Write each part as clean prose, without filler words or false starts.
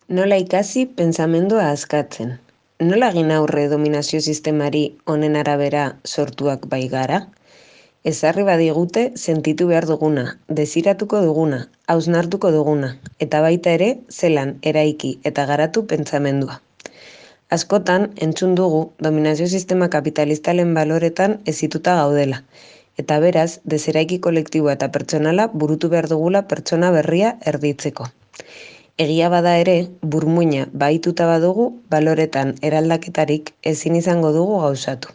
Nola ikasi pentsamendua askatzen. Nola egin aurre dominazio sistemari honen arabera sortuak baigara? Ezarri badigute sentitu behar duguna, desiratuko duguna, hausnartuko duguna, eta baita ere zelan eraiki eta garatu pentsamendua. Askotan entzun dugu dominazio sistema kapitalistalen baloretan hezituta gaudela, eta beraz deseraiki kolektiboa eta pertsonala burutu behar dugula pertsona berria erditzeko. Egia bada ere, burmuina bahituta badugu, baloretan eraldaketarik ezin izango dugu gauzatu.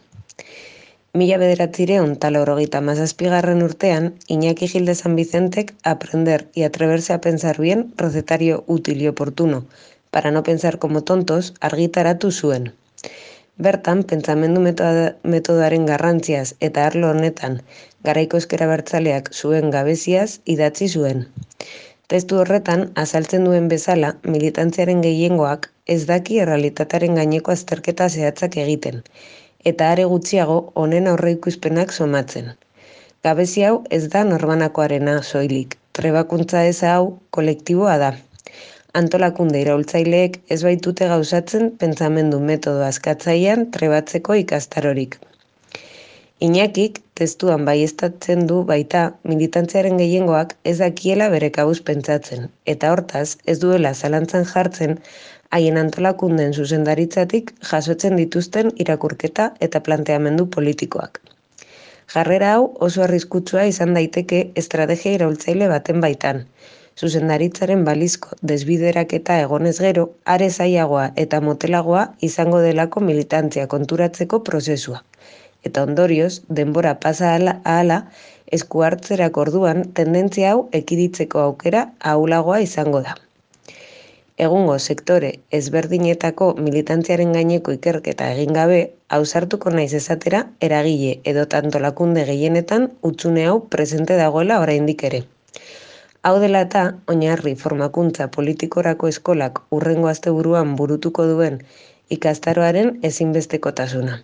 1997 urtean, Iñaki Gil de San Vicentek Aprender y atreverse a pensar bien, recetario útil y oportuno, para no pensar como tontos, argitaratu zuen. Bertan, pentsamendu metodoaren garrantziaz eta arlo honetan garaiko ezker abertzaleak zuen gabeziaz idatzi zuen. Testu horretan, azaltzen duen bezala, militantziaren gehiengoak ez daki errealitatearen gaineko azterketa zehatzak egiten, eta are gutxiago honen aurreikuspenak somatzen. Gabezi hau ez da norbanakoarena soilik, trebakuntza eza hau kolektiboa da. Antolakunde iraultzaileek ez baitute gauzatzen pentsamendu metodo askatzailean trebatzeko ikastarorik. Iñakik testuan baieztatzen du baita militantziaren gehiengoak ez dakiela bere kabuz pentsatzen, eta hortaz ez duela zalantzan jartzen haien antolakunden zuzendaritzatik jasotzen dituzten irakurketa eta planteamendu politikoak. Jarrera hau oso arriskutsua izan daiteke estrategia iraultzaile baten baitan. Zuzendaritzaren balizko desbideraketa egonez gero, are zailagoa eta motelagoa izango delako militantzia konturatzeko prozesua. Eta ondorioz, denbora pasa ahala, esku hartzerak orduan tendentzia hau ekiditzeko aukera ahulagoa izango da. Egungo sektore ezberdinetako militantziaren gaineko ikerketa egin gabe, ausartuko naiz esatera eragile edo antolakunde gehienetan hutsune hau presente dagoela oraindik ere. Hau dela eta, oinarri formakuntza politikorako eskolak hurrengo asteburuan burutuko duen ikastaroaren ezinbestekotasuna.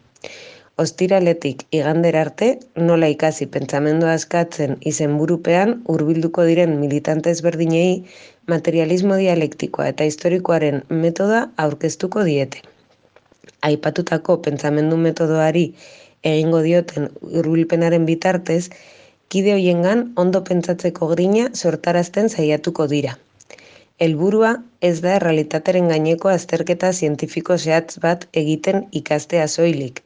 Ostiraletik igandera arte, nola ikasi pentsamendua askatzen izenburupean hurbilduko diren militante ezberdinei materialismo dialektikoa eta historikoaren metoda aurkeztuko diete. Aipatutako pentsamendu metodoari egingo dioten hurbilpenaren bitartez, kide hoiengan ondo pentsatzeko grina sortarazten saiatuko dira. Helburua ez da errealitatearen gaineko azterketa zientifiko zehatz bat egiten ikastea soilik,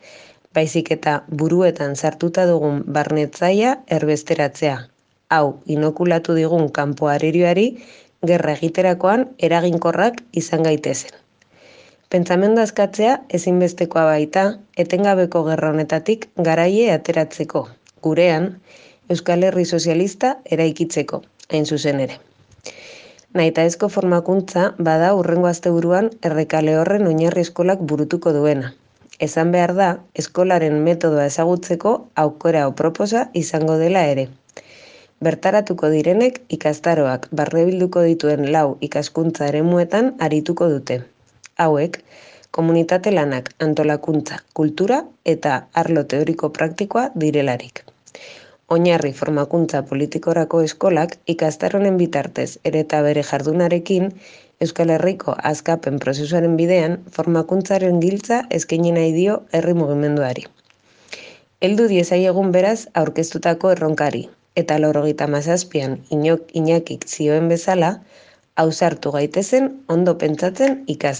baizik eta buruetan sartuta dugun barnetzaia erbesteratzea. Hau, inokulatu digun kanpo arerioari gerra egiterakoan eraginkorrak izan gaitezen. Pentsamendu askatzea ezinbestekoa baita etengabeko gerra honetatik garaie ateratzeko, gurean Euskal Herri Sozialista eraikitzeko, hain zuzen ere. Nahitaezko formakuntza bada hurrengo asteburuan Errekale Horren oinarri eskolak burutuko duena. Esan behar da, eskolaren metodoa ezagutzeko aukera proposa izango dela ere. Bertaratuko direnek ikastaroak barnebilduko dituen 4 ikaskuntza eremuetan arituko dute. Hauek, komunitate lanak, antolakuntza, kultura eta arlo teoriko praktikoa direlarik. Oinarri formakuntza politikorako eskolak ikastaronen bitartez ere eta bere jardunarekin Euskal Herriko askapen prozesuaren bidean formakuntzaren giltza eskaini nahi dio herri mugimenduari. Heldu diezaiegun beraz aurkeztutako erronkari, eta 97an Iñakik zioen bezala, ausartu gaitezen ondo pentsatzen ikasten.